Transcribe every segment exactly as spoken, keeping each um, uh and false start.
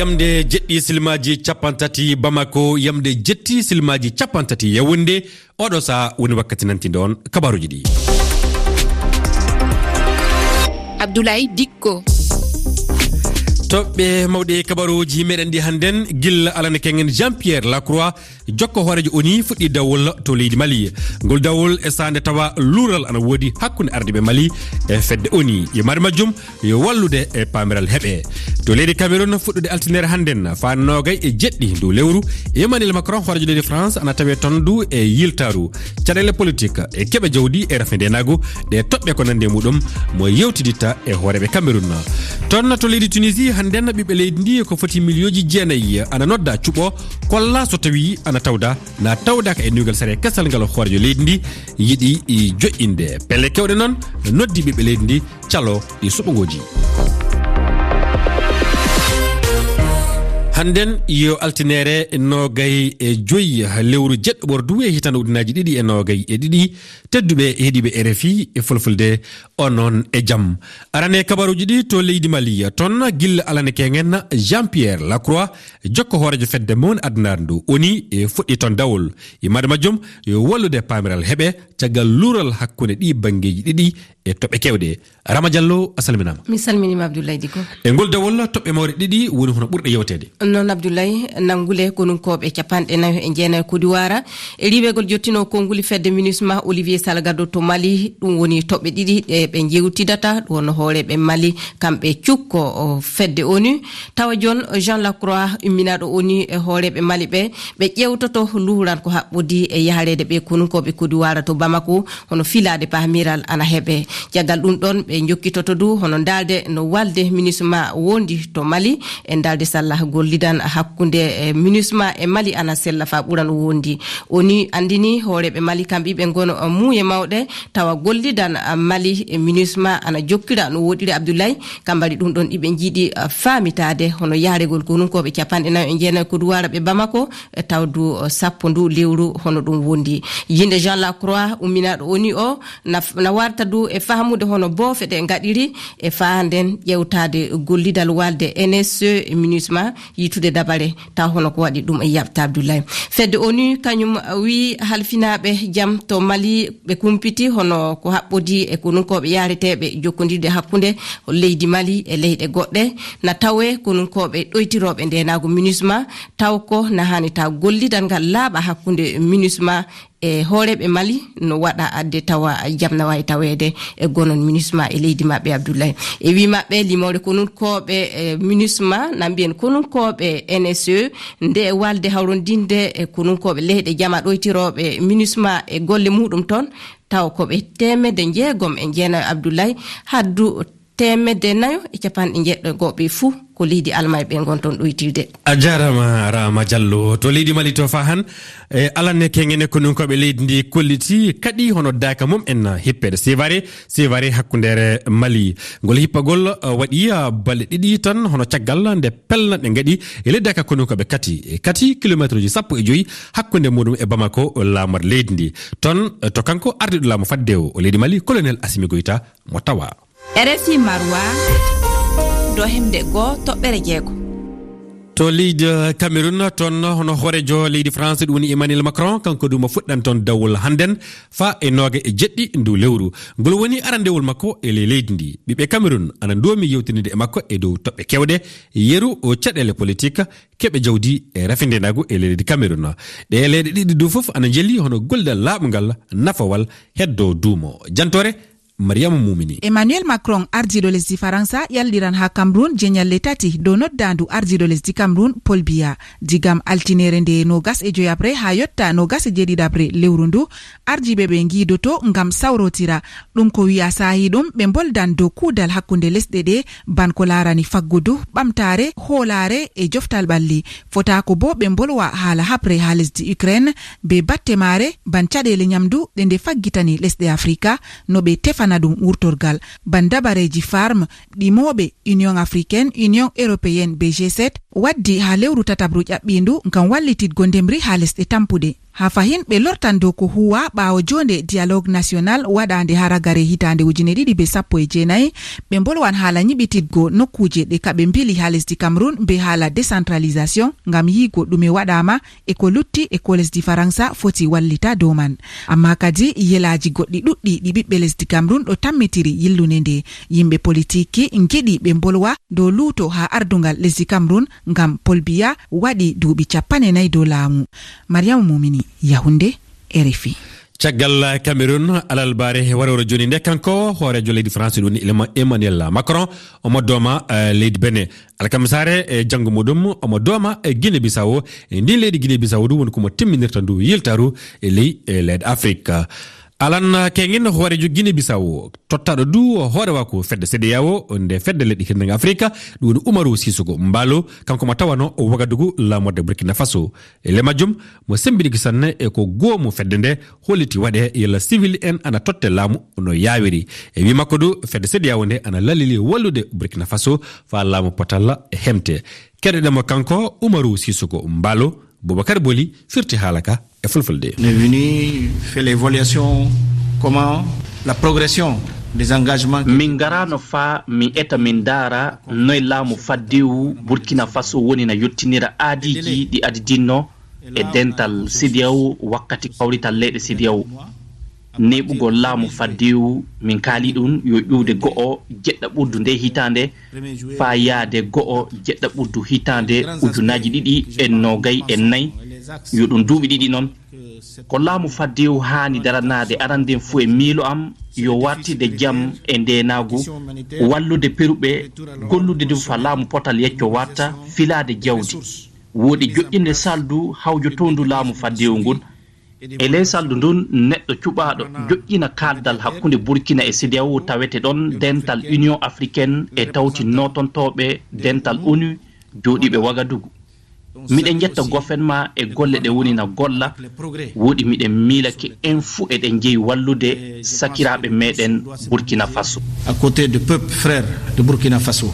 Yamde jeɗɗi silmaaji capanɗe tati Bamako, yamde jeɗɗi silmaaji capanɗe tati Yaoundé. Oɗo saha woni wakkati nantinde on kabaruuji ɗi. Abdoulaye Dikko. Toɓɓe mawɗe kabaruuji meɗen ɗi hannden, gilla alane kengen Jean-Pierre Lacroix, jokko hooreejo O N U fuɗɗi dawol to leydi Mali. Ngol dawol e saande tawa luural ana woodi hakkunde ardiiɓe Mali e fedde O N U. Yimmaade majjum yo wallude e paamiral heɓe. To leydi Cameroun, fuɗɗude altine hannden, faa noogay e jeɗɗi ndu lewru, Emmanuel Macron, hooreejo leydi France, ana tawee toon du e yiltaaru. Caɗeele politik e keɓe jawdi e rafi ndeenaagu, ɗe toɓɓe ko nanndi e muɗum, mo yewtiditta e hooreeɓe Cameroun. Toon to leydi Tunisie, hannden ɓiɓɓe leydi ndi ko foti miliyooji jeenayi ana nodda cuɓo, kolla so tawii ana tawda, na tawdaaka e nuygal sariya kesal ngal hooreejo leydi ndi yiɗi i joƴƴinde. Pelle keewɗe noon noddi ɓiɓɓe leydi ndi calo ɗi suɓngooji. Hannden yo altine noogay e joyi lewru jeɗɗo ɓordu e hitaande ujunnaji ɗiɗi e noogay e ɗiɗi. Tedduɓe heɗiiɓe R F I e Fulfulde, onon e jam. Arane kabaruuji ɗi to leydi Mali, toon gilla alane kengen Jean-Pierre Lacroix, jokko hooreejo fedde mawnde addunaare ndu O N U e fuɗɗi toon dawol. Yimmaade majjum yo wallude paamiral heɓe caggal luural hakkunde ɗi banngeeji ɗiɗi e toɓɓe keewɗe. Rama Diallo, a salminaama. Mi salminiima Abdoulaye Diko. E ngol dawol, toɓɓe mawɗe ɗiɗi woni hono ɓurɗe yewteede. Noon Abdoulaye, nanngule konunkooɓe capanɗe nayo e jeenayo Kodiwaara e riiwegol jottinoo konnguli fedde MINUSMA Olivier Salgado to Mali, ɗum woni toɓɓe ɗiɗi ɗe ɓe njewtidata, ɗum woni hooreeɓe Mali, kamɓe cukko o fedde O N U. Tawa jooni Jean Lacroix, imminaaɗo O N U e hooreeɓe Mali ɓe, ɓe ƴeewtoto luuran ko haɓɓodii e yahareede ɓe konunkooɓe Kodiwaara to Bamako, hono filaade paamiral ana heɓe. Caggal ɗum ɗoon, ɓe njokkitoto du hono ndaalde no walde MINUSMA wondi to Mali, e ndaalde salla gollidan hakkunde, e, MINUSMA e Mali ana sella faa ɓura no wondi. O N U anndini hooreeɓe Mali kamɓe ɓe ngono, e, muuye mawɗe, tawa gollidan, e, Mali e MINUSMA ana jokkira no woɗɗiri Abdoulaye, kambari ɗum ɗoon iɓe njiɗi, e, faamitaade hono yahregol konunkooɓe capanɗe nayo e jeenayo Kodiwaara ɓe Bamako, e tawdu, o, sappo ndu lewru hono ɗum wondi. Yinde Jean Lacroix, umminaaɗo O N U o, na, na warta du e fahmude hono boofe ɗe ngaɗiri e faanden ƴewtaade gollidal walde N S E e MINUSMA, yitude dabare taw hono ko waɗi ɗum e yaɓta Abdoulaye. Fedde O N U kañum wi halfinaaɓe jam to Mali ɓe kumpiti hono ko haɓɓodii e konunkooɓe yahreteeɓe jokkondirde hakkunde leydi Mali e leyɗe goɗɗe, na tawee konunkooɓe ɗoytirooɓe ndeenaagu MINUSMA, taw ko na haani taw gollidal ngal laaɓa hakkunde MINUSMA e hooreeɓe Mali, no waɗa adde tawa jam na waawi taweede e gonon MINUSMA e leydi maɓɓe Abdoulaye. E wii maɓɓe, limoore konunkooɓe, e, MINUSMA, na mbiyen konunkooɓe N S E, nde e walde hawrondinde e konunkooɓe leyɗe jama ɗoytirooɓe MINUSMA e golle muɗum toon, taw ko ɓe teemedde njeegom e jeenayo Abdoulaye, haddu teemedde nayo e capanɗe jeɗɗo goɓe fuu ko leydi Almay ɓe ngon toon ɗoytirde. A jaaraama, Rama Diallo. To leydi Mali to faa han, e, alane kengene konunkooɓe leydi ndi kolliti kaɗi hono daaka mum en hippeede Sévaré, Sévaré hakkundeere Mali. Ngol hippagol, e, waɗi, e, balɗe ɗiɗi tan hono caggal nde pellanɗe ngaɗi e ley daaka konunkooɓe kati, e, kati kilomeetruuji sappo e joyi hakkunde muɗum e Bamako, laamor leydi ndi. Toon, e, to kanko ardiiɗo laamu faddewo o leydi Mali, Colonel Assimi Goïta, mo tawa. R F I Marwa, dohemde goo toɓɓere jeego. To leydi Cameroun, toon hono hooreejo leydi France, ɗum woni Emmanuel Macron, kanko du mo fuɗɗan toon dawol hannden faa e nooga e jeɗɗi ndu lewru. Ngol woni arandewol makko e ley leydi ndi. Ɓiɓɓe Cameroun ana ndoomi yewtinde e makko e dow toɓɓe keewɗe, yeru o caɗeele politik, keɓe jawdi e rafindeenaagu e leydi Cameroun. Ɗee leyɗe ɗiɗi du fof ana njeli hono gollal laaɓungal, nafowal, heddo duumo. Jantoore, Mariama Mumini. Emmanuel Macron, ardiiɗo lesdi Faransa, yalɗiran haa Cameroun jeñalle tati dow noddaandu ardiiɗo lesdi Cameroun, Paul Biya. Digam altineere nde noogas e joyaɓre haa yotta noogas e jeeɗiɗaɓre lewru ndu, ardiiɓe ɓe ngiidoto ngam sawrotira. Ɗum ko wiya saahi ɗum ɓe mboldan dow kuudal hakkunde lesɗe ɗe, ban ko laarani faggudu, ɓamtaare, hoolaare e joftal ɓalli. Fotaako boo ɓe mbolwa haala haɓre haa lesdi Ukraine, bee batte maare, ban caɗeele ñamdu ɗe nde faggitani lesɗe Afrika, no ɓe tefana ɗum wurtorgal. Ban dabareeji farm, ɗi mooɓe Union Africaine, Union Européenne bee G sept waddi haa lewru tataɓru ƴaɓɓiindu ngam wallititgo ndemri haa lesɗe tampuɗe. Haa fahin ɓe lortan dow ko huuwa ɓaawo joonde dialogue national waɗaande haa ragare hitaande ujine ɗiɗi be sappo e jeenayi, ɓe mbolwan haala nyiɓititgo nokkuuje ɗe kaɓe mbili haa lesdi Cameroun be haala décentralisation ngam yiigo ɗume waɗaama e ko lutti e ko lesdi Faransa foti wallita dow man. Ammaa kadi yelaaji goɗɗi ɗuɗɗi ɗi ɓiɓɓe lesdi Cameroun ɗo tammitiri yillunde nde. Yimɓe politiki ngiɗi ɓe mbolwa dow luuto haa ardungal lesdi Cameroun ngam Paul Biya waɗi duuɓi cappanɗe nayi dow laamu. Mariama Mumini, Yaoundé, R F I. Caggal Cameroun, alarba waroowo jooni nde, kanko hooreejo leydi France ɗum woni Emma-, Emmanuel Macron, omo dooma, eh, leydi Benin. Alkamisaare, eh, janngo muɗum, omo dooma, eh, Guinée Bissau. Eh, ndin leydi Guinée Bissau ɗum woni ko mo timminirta ndu yiltaru e ley, eh, leyɗe Afrique. Alan Kengin, hooreejo Guinée Bissau, tottaaɗo du hoorewaaku fedde CEDEAO, nde fedde leyɗe hirnange Afrique, ɗum woni Umaru Sissoco Embaló, kanko mo tawano o Wagadugu, laamorde Burkina Faso. E le majjum, mo sembiniki sanne e ko goomu fedde nde holliti waɗe yalla civil en ana totte laamu no yaawiri. E wi makko du, fedde CEDEAO nde ana lalili wallude Burkina Faso faa laamu potal hemte. Keɗoɗen mo kanko, Umaru Sissoco Embaló, Boubacar Boli firti haala ka e fulfulde. On est venu faire l'évaluation, comment la progression des engagements. Min ngaraano faa min eta, min ndaara noy laamu faddewu Burkina Faso woni na yottinira aadiiji ɗi adidinno e dental CEDEAO wakkati kawrital leyɗe CEDEAO. Neeɓugol laamu faddewu, min kaali ɗum yo ƴuwde go'o jeɗɗaɓurdu nde hitaande faa yaade go'o jeɗɗaɓurdu hitaande ujunaaji ɗiɗi e noogay e nayi, yo ɗum duuɓi ɗiɗi noon. Ko laamu faddewu haani daranaade aranden fuu e miilo am, yo wartide jam e ndeenaagu, wallude peruɓe, gollude du faa laamu potal yecco warta, filaade jawdi. Wooɗi joƴƴinde saldu hawjotoondu laamu faddewu ngun. E ley saldu ndun, neɗɗo cuɓaaɗo joƴƴina kaaldal hakkunde Burkina e CEDEAO tawete ɗon, dental Union Africaine e tawti nootontooɓe dental ONU jooɗiiɓe Wagadugu. Miɗen njetta gofen ma e golle ɗe woni na golla. Wooɗi miɗen miilake en fuu eɗen njeyi wallude sakiraaɓe meɗen Burkina Faso. À côté de peuple frère de Burkina Faso.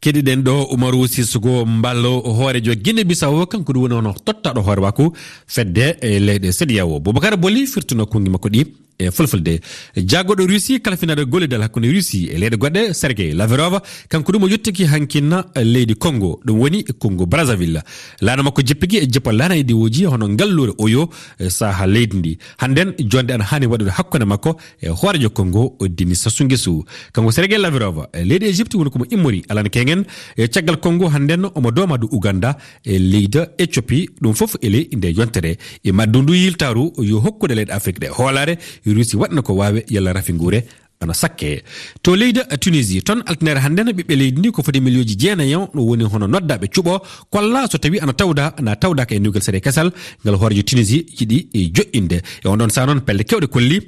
Keɗiɗen ɗo Umaru Sissoco Embaló, hooreejo Guinée Bissau, kanko ɗum woni hono tottaaɗo hoorewaaku fedde e leyɗe CEDEAO. Boubacar Boli firtuno konngi makko ɗi e fulfulde. Jaagorɗo Russie kalfinaaɗo gollidal hakkunde Russie e leyɗe goɗɗe, Sergei Lavrov, kanko ɗum o yottiki hankinna leydi Congo, ɗum woni Congo Brazzaville. Laana makko jippiki e jippa laana e diwooji hono ngalluure Oyo e saaha leydi ndi. Hannden, jonde ana haani waɗude hakkunde makko e hooreejo Congo, o Denis Sassou Nguesso. Kanko Sergei Lavrov, e leydi Égypte woni ko mo immori alana kengen, e caggal Congo hannden omo dooma du Ouganda, e leydi Éthiopie, ɗum fof e ley nde yontere. E maddu ndu yiltaaru yo hokkude leyɗe Afrique ɗe hoolaare, Russie waɗna ko waawe yalla rafi nguure ana sakke. To leydi Tunisie, toon altine hannden ɓiɓɓe leydi ndi ko foti miliyooji jeenayi on, ɗum woni hono noddaaɓe cuɓo, kolla so tawi ana tawda, ana tawdaaka e nugel sere kesal, ngal hooreejo Tunisie yiɗi e joƴƴinde. E on ɗon saa noon pelle kewɗe kolli,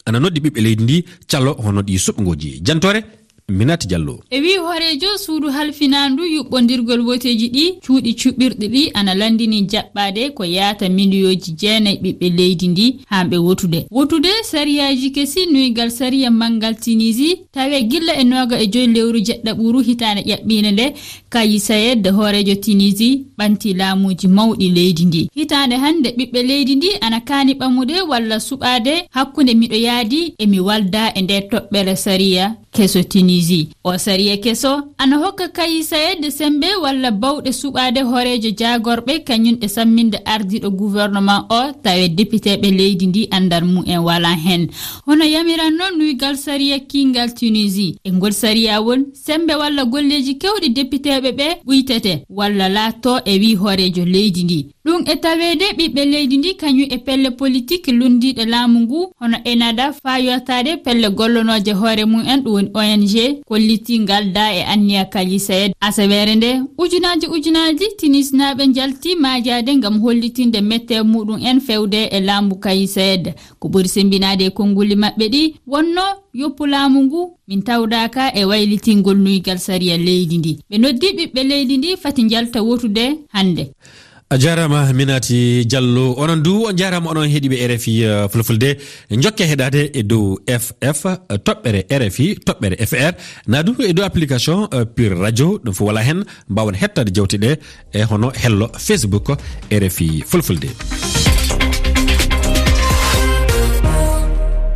ana noddi ɓiɓɓe leydi ndi calo hono ɗi suɓngooji. Jantoore, Minati Diallo. E wii hooreejo suudu halfinaandu yuɓɓondirgol woteeji ɗi, cuuɗi cuɓirɗi ɗi ana lanndini jaɓɓaade ko yaata miliyooji jeenayi ɓiɓɓe leydi ndi haa ɓe wotude. Wotude sariyaaji kesi nuygal sariya manngal Tunisie, tawe gilla e nooga e joy lewru jeɗɗaɓuru hitaande ƴaɓɓiinde nde, Kais Saied, hooreejo Tunisie, ɓanti laamuuji mawɗi leydi ndi. Hitaande hannde, ɓiɓɓe leydi ndi ana kaani ɓamude walla suɓaade hakkunde miɗo yaadi e mi walda e nde toɓɓere sariya keso Tunisie. O sariya keso ana hokka Kais Saied semmbe walla bawɗe suɓaade hooreejo jaagorɓe, kañum e samminde ardiiɗo gouvernement o, tawe depiteeɓe leydi ndi anndal mum en walaa heen. Hono yamiranno nuygal sariya kiingal Tunisie. E ngol sariya won semmbe walla golleeji keewɗi depiteeɓe ɓe ɓuytete walla laatto e wii hooreejo leydi ndi. Ɗum e taweede ɓiɓɓe leydi ndi kañum e pelle politik lunndiiɗe laamu ngu, hono ENNAHDA, faa yootaade pelle gollonooje hoore mum en, ɗum woni O N G, kollitii ngal da e anniya Kais Saied. Asaweere nde, ujunaaji ujunaaji Tunisinaaɓe njalti maajaade ngam hollitinde mette muɗum en fewde e laamu Kais Saied. Ko ɓuri semmbinaade e konnguli maɓɓe ɗi wonno yoppu laamu ngu, min tawdaaka e waylitingol nuygal sariya leydi ndi. Ɓe noddi ɓiɓɓe leydi ndi fati njalta wotude hannde. A jaaraama Minati Diallo. Onon du, on njaaraama onon heɗiiɓe R F I, eh, Fulfulde. Njokke heɗaade e dow F F, eh, toɓɓere R F I, toɓɓere F R. Naa du e dow application, eh, Pure Radio, ɗum fof wala heen. Mbaawen hettaade jawte ɗe e hono hello Facebook R F I Fulfulde.